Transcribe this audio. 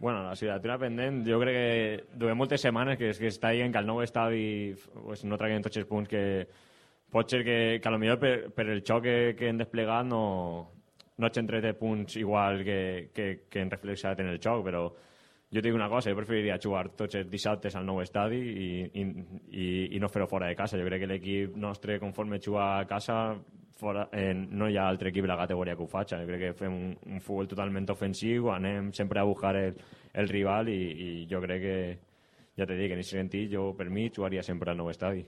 Bueno, la assignatura pendent, jo crec que duem moltes setmanes que està dient que el nou estadi pues, no traguem tots els punts que pot ser que a lo millor per el xoc que hem desplegat no hagin tret punts igual que hem reflexat en el xoc, però jo et dic una cosa, jo preferiria jugar tots els dissabtes al nou estadi i no fer-ho fora de casa. Jo crec que l'equip nostre, conforme juga a casa, no hi ha altre equip de la categoria que ho faci. Jo crec que fem un futbol totalment ofensiu, anem sempre a buscar el rival i jo crec que, ja t'he dit, que en aquest sentit jo per mi jugaria sempre al nou estadi.